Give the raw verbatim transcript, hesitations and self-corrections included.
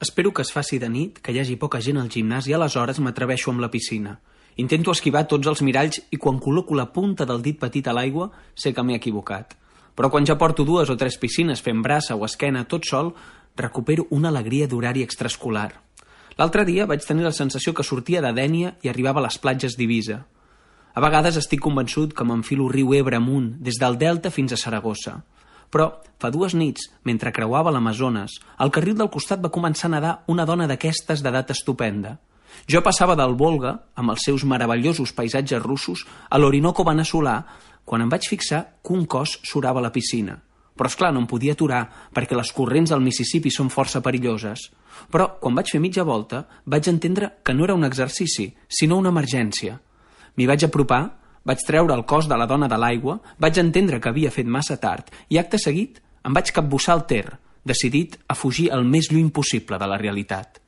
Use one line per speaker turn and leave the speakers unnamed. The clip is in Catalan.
Espero que es faci de nit, que hi hagi poca gent al gimnàs i aleshores m'atreveixo amb la piscina. Intento esquivar tots els miralls i quan col·loco la punta del dit petit a l'aigua sé que m'he equivocat. Però quan ja porto dues o tres piscines fent braça o esquena tot sol, recupero una alegria d'horari extraescolar. L'altre dia vaig tenir la sensació que sortia de Dénia i arribava a les platges d'Eivissa. A vegades estic convençut que m'enfilo riu Ebre amunt, des del Delta fins a Saragossa. Però fa dues nits, mentre creuava l'Amazones, al carril del costat va començar a nedar una dona d'aquestes d'edat estupenda. Jo passava del Volga, amb els seus meravellosos paisatges russos, a l'Orinoco veneçolà, quan em vaig fixar que un cos surava a la piscina. Però, esclar, no em podia aturar, perquè les corrents del Mississippi són força perilloses. Però, quan vaig fer mitja volta, vaig entendre que no era un exercici, sinó una emergència. M'hi vaig apropar, vaig treure el cos de la dona de l'aigua, vaig entendre que havia fet massa tard i, acte seguit, em vaig capbussar al Ter, decidit a fugir el més lluny possible de la realitat.